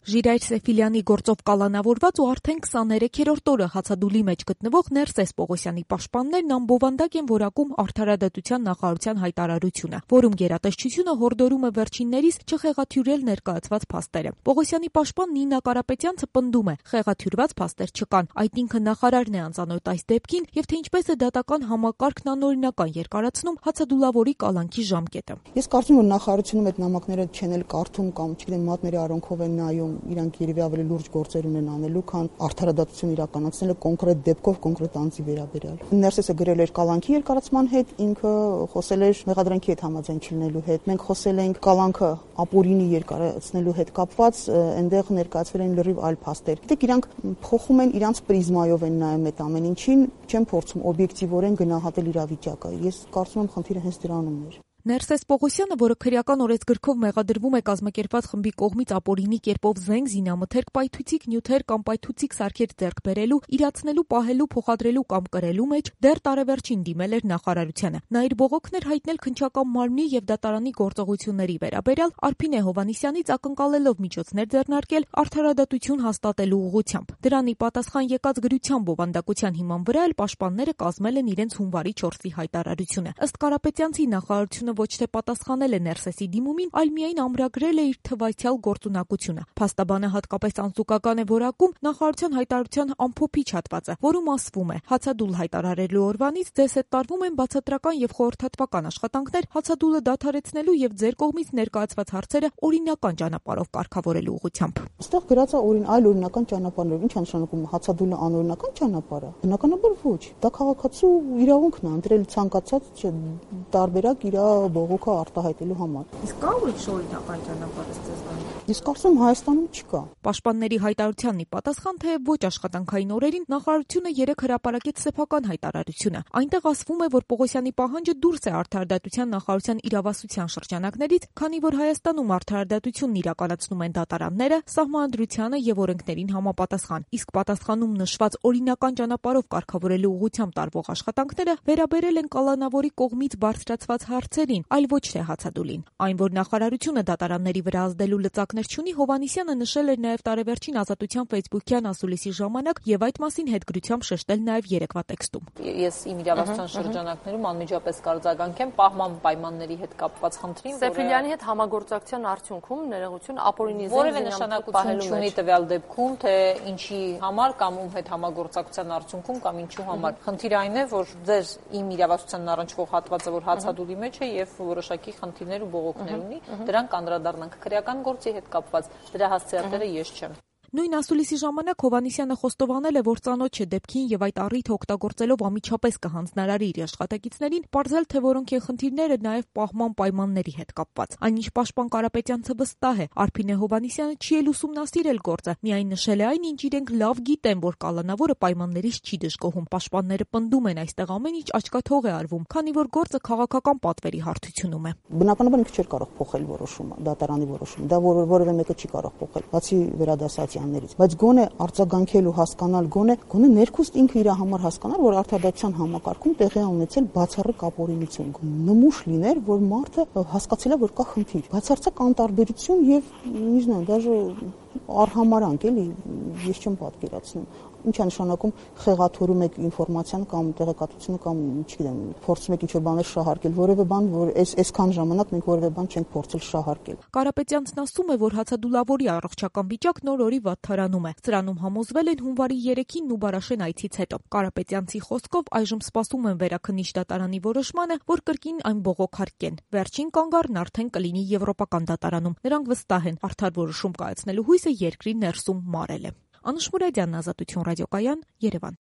Ժիրայր Սեֆիլյանի գործով կալանավորված ու արդեն 23-րդ օրը հացադուլի մեջ գտնվող Ներսես Պողոսյանի պաշտպաններն անբովանդակ են որակում Արդարադատության նախարարության հայտարարությունը, որում գերատեսչությունը հորդորում է վերջիններիս չխեղաթյուրել ներկայացված փաստերը։ Պողոսյանի պաշտպան Նինա Կարապետյանցը պնդում է՝ խեղաթյուրված փաստեր չկան, այդ ինքը նախարարն է անծանոթ այս դեպքին եւ թե ինչպես է դատական համակարգն անօրինական երկարացնում հացադուլավորի կալանքի ժամկետը։ Ես կարծում եմ, որ նախարարությունում այդ նամակները չեն էլ կարդում կամ չգիտեմ մատների արանքով են նայում, իրանք երևի ավելի լուրջ գործեր ունեն անելու, քան արդարադատություն իրականացնելը կոնկրետ դեպքով, կոնկրետ անձի վերաբերյալ։ Ներսեսը գրել էր կալանքի երկարացման հետ, ինքը խոսել էր մեղադրանքի հետ համաձայն չլինելու հետ։ Մենք խոսել ենք կալանքը ապօրինի երկարացնելու հետ կապված, այնտեղ ներկայացվել են լրիվ այլ փաստեր։ Գիտեք, իրանք փոխում են իրանք պրիզմայով են նայում այդ ամեն ինչին, չեն փորձում օբյեկտիվորեն գնահատել իրավիճակը։ Ես կարծում եմ, խնդիրը հենց դրանում էր։ Ներսես Պողոսյանը, որը քրեական օրենսգրքով մեղադրվում է կազմակերպված խմբի կողմից ապօրինի կերպով զենք, զինամթերք, պայթուցիկ նյութեր կամ պայթուցիկ սարքեր ձեռք բերելու, իրացնելու, պահելու, փոխադրելու կամ կրելու մեջ դեռ տարեվերջին դիմել էր նախարարությանը։ Նա իր բողոքն էր հայտնել քննչական մարմնի եւ դատարանի գործողությունների վերաբերյալ Արփինե Հովհաննիսյանից ակնկալելով միջոցներ ձեռնարկել արդարադատություն հաստատելու ուղղությամբ։ Դրանի պատասխան եկած գրության բովանդակության հիման վրա էլ պաշտպանները կազմել են իրենց հունվարի 4-ի հայտարարությունը։ Ըստ Կարապետյանցի նախարարությունը ոչ թե պատասխանել է Ներսեսի դիմումին, այլ միայն ամրագրել է իր թվայցյալ գործունակությունը։ Փաստաբանը հատկապես անզուգական է որակում նախարարության հայտարարության ամփոփիչ հատվածը, որում ասվում է. հացադուլ հայտարարելու օրվանից ձեզ հետ տարվում են բացատրական եւ խորհրդատվական աշխատանքներ հացադուլը դադարեցնելու եւ ձեր կողմից ներկայացված հարցերը օրինական ճանապարհով կարգավորելու ուղղությամբ։ Այստեղ գրած է այլ օրինական ճանապարհներ, ինչ նշանակում է հացադուլը անօրինական ճանապարհ է։ Բնականաբար ոչ։ Դա քաղաքացու իրավունքն է ընտրել ցանկացած տարբերակ իր բողոքը արտահայտելու համար։ Իսկ կա ուրիշ օրինական ճանապարհ ստեղծել։ Ես կարծում եմ Հայաստանում չկա։ Պաշտպանների հայտարարությանն ի պատասխան թե ոչ աշխատանքային օրերին նախարարությունը 3 հրապարակեց սեփական հայտարարությունը։ Այնտեղ ասվում է, որ Պողոսյանի պահանջը դուրս է արդարադատության նախարարության իրավասության շրջանակներից, քանի որ Հայաստանում արդարադատությունն իրականացնում են դատարանները, սահմանադրությանը եւ օրենքներին համապատասխան։ Իսկ պատասխանում նշված օրինական ճանապարհով կարգավորելու ուղղությամբ տարվող աշխատանքները վերաբերել են կալանավորի կողմից բարձրացված հարցերին, այլ ոչ թե հացադուլին։ Այն, որ նախարարությունը դատարանների վրա ազդելու լծակներ չունի, Հովհաննիսյանը նշել էր նաև տարեվերջին Ազատության Facebook-յան ասուլիսի ժամանակ եւ այդ մասին հետգրությամբ շեշտել նաև երեկվա տեքստում։ Ես իմ իրավասության շրջանակներում անմիջապես կարձագանքեմ պահման պայմանների հետ կապված խնդրին, Սեֆիլյանի հետ համագործակցության արդյունքում ներողություն ապօրինի որևէ նշանակություն չունի տվյալ դեպքում, թե ինչի համար կամ ում հետ համագործակցության արդյունքում կամ ինչու համար։ Խնդիրը այն է, որ ձեր իմ իրավասությանն առնչվող հատվածը, որ հացադուլի մեջ է եւ որոշակի խնդիրներ ու բողոքներ ունի, դրանք անդրադառնանք քրեական գործի հետ կապված, դրա հասցեատերը ես չեմ։ Նույն ասուլիսի ժամանակ Հովհաննիսյանը խոստովանել է, որ ծանոթ չէ դեպքին եւ այդ առիթը օգտագործելով ամիջապես կհանձնարարի իր աշխատակիցներին, պարզել թե որոնք են խնդիրները նաեւ պահման պայմանների հետ կապված։ Այնինչ պաշտպան Կարապետյանցը վստահ է, Արփինե Հովհաննիսյանը չի էլ ուսումնասիրել գործը, միայն նշել է այն, ինչ իրենք լավ գիտեն, որ կալանավորը պայմաններից չի դժգոհում։ Պաշտպանները պնդում են այստեղ ամեն ինչ աչքաթող է արվում, քանի որ գործը քաղաքական պատվերի հարթությունում է։ Բնականաբար ինքը չէր կարող փոխել որոշումը, դատարանի որոշումը։ Դա որևէ մեկը չի կարող փոխել, բացի վերադասացիաներից, բայց գոնե արձագանքել ու հասկանալ, գոնե ներքուստ ինքը իր համար հասկանալ, որ արդարադատության համակարգում տեղի է ունեցել բացառիկ ապօրինություն։ Նմուշ լիներ, որ մարդը հասկացել է, որ կա խնդիր, բացարձակ անտարբերություն եւ, չգիտեմ, դաժե արհամարանք էլի, ես չեմ պատկերացնում։ Ինչ է նշանակում խեղաթյուրում եք ինֆորմացիան կամ տեղեկատվությունը կամ, չգիտեմ, փորձում եք ինչ-որ բաներ շահարկել, որևէ բան, որ այսքան ժամանակ մենք որևէ բան չենք փորձել շահարկել։ Կարապետյանցն ասում է, որ հացադուլավորի առողջական վիճակն օր-օրի վատթարանում է։ Սրանում համոզվել են հունվարի 3-ին Նուբարաշեն այցից հետո։ Կարապետյանցի խոսքով այժմ սպասում են վերաքննիչ դատարանի որոշմանը, որ կրկին այն բողոքարկեն։ Վերջին կանգառն արդեն կլինի Եվրոպական դատարանում։ Նրանք վստահ են, արդար որոշում կայացնելու հույսը երկրի ներսում մարել է։ Անուշ Մուրադյանն, Ազատություն ռադիոկայան, Երևան։